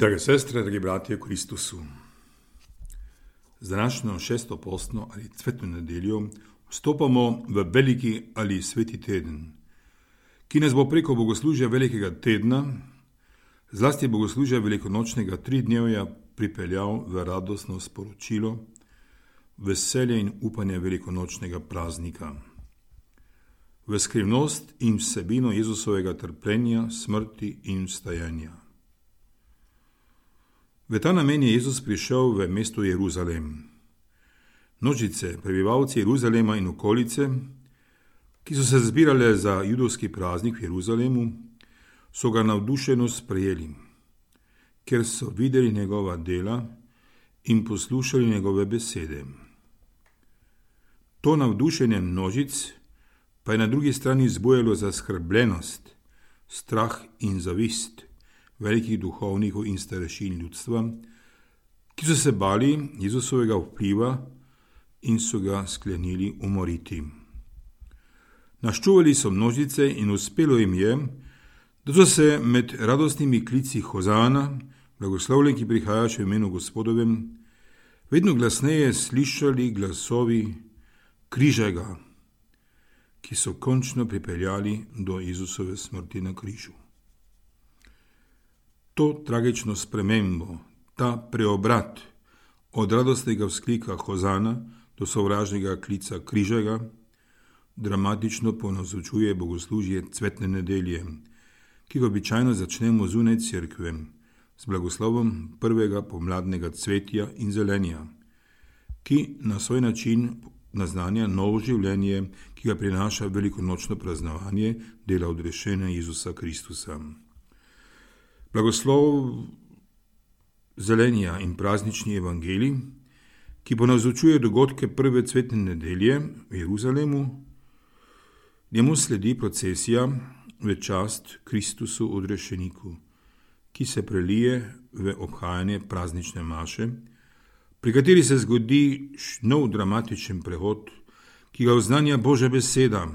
Drage sestre, dragi bratje v Kristusu, z današnjo šesto postno ali cvetno nedeljo vstopamo v veliki ali sveti teden, ki nas bo preko bogoslužja velikega tedna, zlasti bogoslužja velikonočnega tridnevja, pripeljal v radostno sporočilo, veselje in upanje velikonočnega praznika, v skrivnost in vsebino Jezusovega trpljenja, smrti in vstajanja. V ta namen je Jezus prišel v mesto Jeruzalem. Množice, prebivalci Jeruzalema in okolice, ki so se zbirale za judovski praznik v Jeruzalemu, so ga navdušeno sprejeli, ker so videli njegova dela in poslušali njegove besede. To navdušenje množic pa je na drugi strani zbujalo zaskrbljenost, strah in zavist velikih duhovnikov in starešin ljudstva, ki so se bali Jezusovega vpliva in so ga sklenili umoriti. Naščuvali so množice in uspelo jim je, da so se med radostnimi klici Hozana, blagoslovljen, ki prihajaš v imenu Gospodovem, vedno glasneje slišali glasovi križaj ga, ki so končno pripeljali do Jezusove smrti na križu. To tragično spremembo, ta preobrat od radostnega vzklika Hozana do sovražnega klica križaj, dramatično ponazoruje bogoslužje cvetne nedelje, ki ga običajno začnemo zunaj cerkve z blagoslovom prvega pomladnega cvetja in zelenja, ki na svoj način naznanja novo življenje, ki ga prinaša velikonočno praznovanje dela odrešenja Jezusa Kristusa. Blagoslov zelenja in praznični evangelij, ki ponazorčuje dogodke prve cvetne nedelje v Jeruzalemu, njemu sledi procesija v čast Kristusu odrešeniku, ki se prelije v obhajanje praznične maše, pri kateri se zgodi nov dramatičen prehod, ki ga oznanja Božja beseda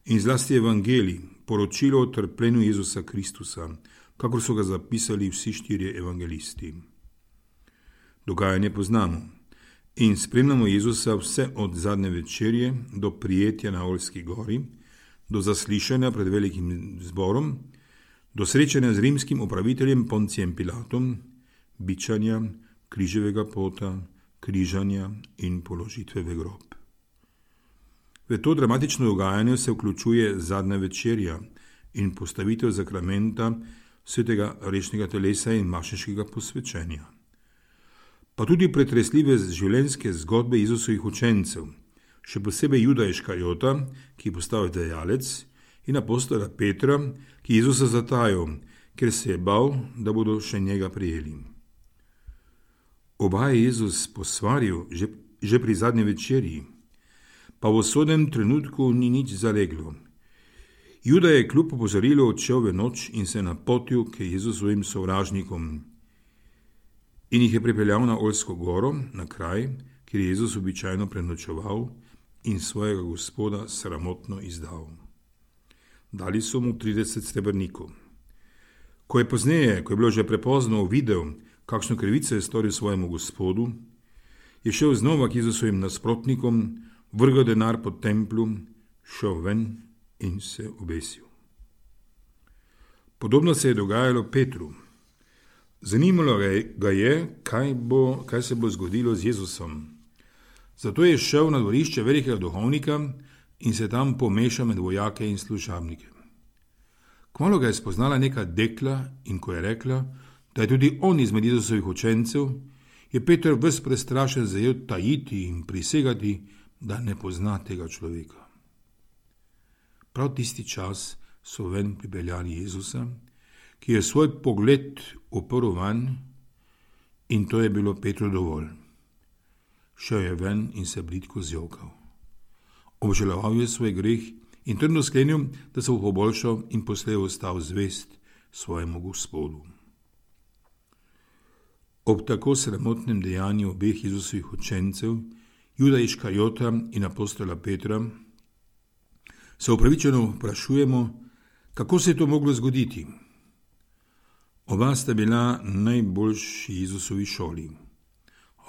in zlasti evangelij, poročilo o trpljenju Jezusa Kristusa, kakor so ga zapisali vsi štirje evangelisti. Dogajanje poznamo in spremljamo Jezusa vse od zadnje večerje do prijetja na Oljski gori, do zaslišanja pred velikim zborom, do srečanja z rimskim upraviteljem Poncijem Pilatom, bičanja, križevega pota, križanja in položitve v grob. V to dramatično dogajanje se vključuje zadnja večerja in postavitev zakramenta svetega rešnega telesa in mašeškega posvečenja. Pa tudi pretresljive življenjske zgodbe Jezusovih učencev, še posebej Juda Iškarijota, ki je postal dajalec, in apostola Petra, ki je Jezusa zatajal, ker se je bal, da bodo še njega prijeli. Oba je Jezus posvaril že pri zadnji večerji, pa v usodnem trenutku ni nič zaleglo. Juda je kljub opozorilu odšel v noč in se napotil k Jezusovim sovražnikom in jih je pripeljal na Oljsko goro, na kraj, kjer je Jezus običajno prenočeval in svojega Gospoda sramotno izdal. Dali so mu 30 srebrnikov. Ko je pozneje, ko je bilo že prepozno, videl, kakšno krivico je storil svojemu Gospodu, je šel znova k Jezusovim nasprotnikom, vrgel denar po templu, šel ven in se obesil. Podobno se je dogajalo Petru. Zanimalo ga je, kaj se bo zgodilo z Jezusom. Zato je šel na dvorišče velikega duhovnika in se tam pomešal med vojake in služabnike. Kmalu ga je spoznala neka dekla in ko je rekla, da je tudi on izmed Jezusovih učencev, je Peter ves prestrašen zajel tajiti in prisegati, da ne pozna tega človeka. Prav tisti čas so ven pripeljali Jezusa, ki je svoj pogled uprl vanj, in to je bilo Petru dovolj. Šel je ven in se bridko zjokal. Obžaloval je svoj greh in trdno sklenil, da se bo poboljšal in poslej ostal zvest svojemu Gospodu. Ob tako sramotnem dejanju obeh Jezusovih učencev, Juda Iškarijota in apostola Petra, se upravičeno vprašujemo, kako se je to moglo zgoditi. Oba sta bila najboljši Jezusovi šoli.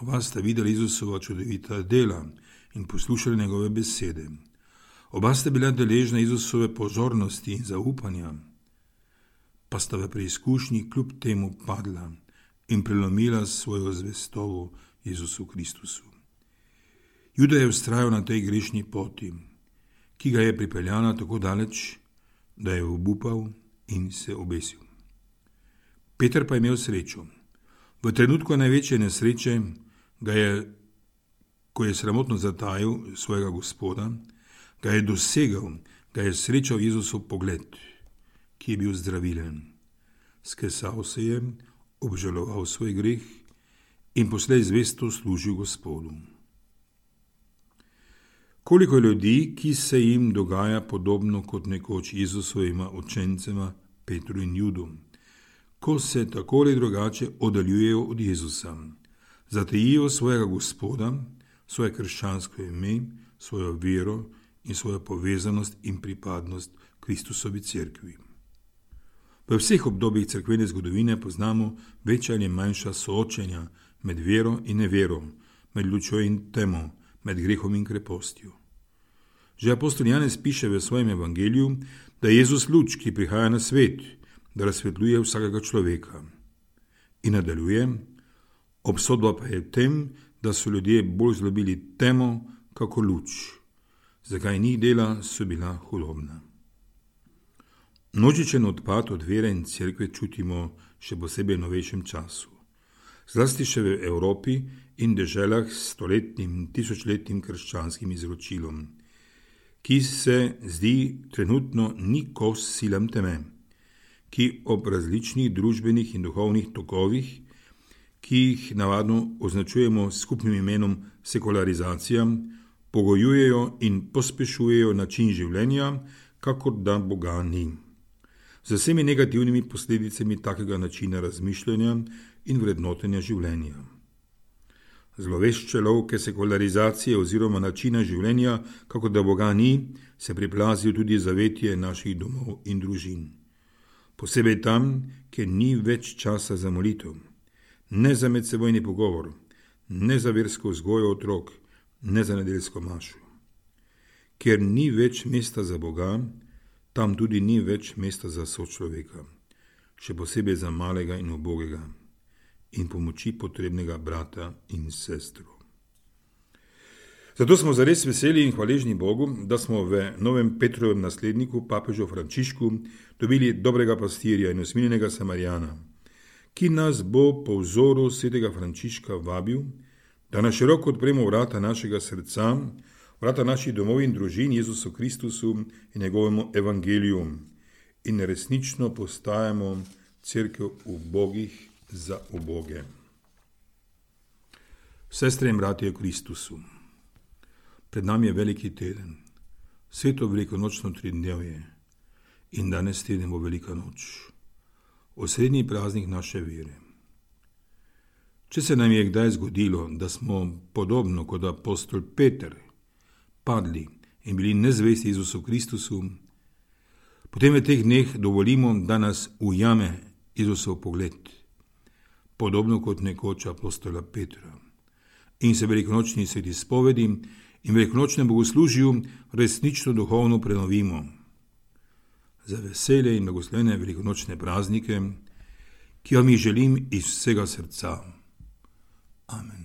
Oba sta videli Jezusova čudovita dela in poslušali njegove besede. Oba sta bila deležna Jezusove pozornosti in zaupanja, pa sta v preizkušnji kljub temu padla in prelomila svojo zvestobo Jezusu Kristusu. Juda je vztrajal na tej grešni poti, ki ga je pripeljala tako daleč, da je obupal in se obesil. Peter pa je imel srečo. V trenutku največje nesreče ko je sramotno zatajil svojega Gospoda, ga je dosegel, ga je srečal Jezusov pogled, ki je bil zdravilen. Skesal se je, obžaloval svoj greh in poslej zvesto služil Gospodu. Koliko ljudi, ki se jim dogaja podobno kot nekoč Jezusovima učencema Petru in Judu, ko se tako ali drugače oddaljujejo od Jezusa, zatejijo svojega Gospoda, svoje krščansko ime, svojo vero in svojo povezanost in pripadnost Kristusovi cerkvi. V vseh obdobjih cerkvene zgodovine poznamo večja ali manjša soočenja med vero in nevero, med lučjo in temo, med grehom in krepostjo. Že apostol Janez piše v svojem evangeliju, da je Jezus luč, ki prihaja na svet, da razsvetljuje vsakega človeka. In nadaljuje, obsodba pa je v tem, da so ljudje bolj zlobili temo, kako luč. Zakaj njih dela so bila hudobna. Množičen odpad od vere in cerkve čutimo še posebej v novejšem času. Zlasti še v Evropi in deželah s stoletnim, tisočletnim krščanskim izročilom, ki se zdi trenutno ni kos silam teme, ki ob različnih družbenih in duhovnih tokovih, ki jih navadno označujemo s skupnim imenom sekularizacija, pogojujejo in pospešujejo način življenja, kakor da Boga ni. Z vsemi negativnimi posledicami takega načina razmišljanja in vrednotenja življenja. Zlovešče lovke sekularizacije oziroma načina življenja, kako da Boga ni, se priplazijo tudi zavetje naših domov in družin. Posebej tam, kjer ni več časa za molitev, ne za medsebojni pogovor, ne za versko vzgojo otrok, ne za nedeljsko mašo. Ker ni več mesta za Boga, tam tudi ni več mesta za sočloveka, še posebej za malega in ubogega in pomoči potrebnega brata in sestro. Zato smo zares veseli in hvaležni Bogu, da smo v novem Petrovem nasledniku, papežu Frančišku, dobili dobrega pastirja in usmiljenega Samarijana, ki nas bo po vzoru svetega Frančiška vabil, da na široko odpremo vrata našega srca, vrata naših domov in družin Jezusu Kristusu in njegovemu evangeliju in resnično postajamo cerkev ubogih za uboge. Sestre in bratje v Kristusu, pred nami je veliki teden, sveto velikonočno tridnevje in danes teden bo velika noč, osrednji praznik naše vere. Če se nam je kdaj zgodilo, da smo podobno kot apostol Peter padli in bili nezvesti Jezusu Kristusu, potem v teh dneh dovolimo, da nas ujame Jezusov pogled, podobno kot nekoč apostola Petra, in se velikonočni sveti spovedi in velikonočnem bogoslužju resnično duhovno prenovimo. Za veselje in blagoslovene velikonočne praznike, ki vam jih želim iz vsega srca. Amen.